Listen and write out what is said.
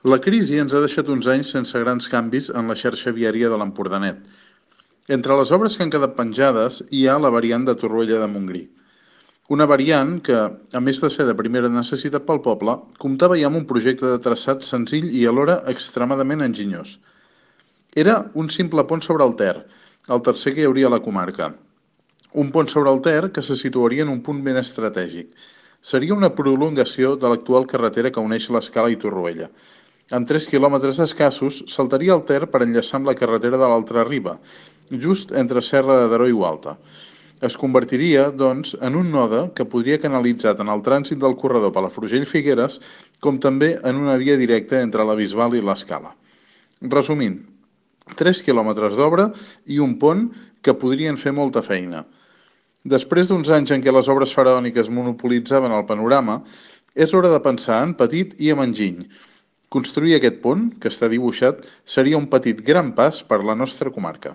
La crisi ens ha deixat uns anys sense grans canvis en la xarxa viària de l'Empordanet. Entre les obres que han quedat penjades hi ha la variant de Torroella de Montgrí. Una variant que, a més de ser de primera necessitat pel poble, comptava ja amb un projecte de traçat senzill i alhora extremadament enginyós. Era un simple pont sobre el Ter, el tercer que hi hauria a la comarca. Un pont sobre el Ter que se situaria en un punt ben estratègic. Seria una prolongació de l'actual carretera que uneix l'Escala i Torroella. Amb 3 quilòmetres escassos, saltaria el Ter per enllaçar amb la carretera de l'altra riba, just entre Serra de Daró i Gualta. Es convertiria, doncs, en un node que podria canalitzar tant el trànsit del corredor Palafrugell-Figueres com també en una via directa entre la Bisbal i l'Escala. Resumint, 3 quilòmetres d'obra i un pont que podrien fer molta feina. Després d'uns anys en què les obres faraòniques monopolitzaven el panorama, és hora de pensar en petit i en enginy. Construir aquest pont, que està dibuixat, seria un petit gran pas per la nostra comarca.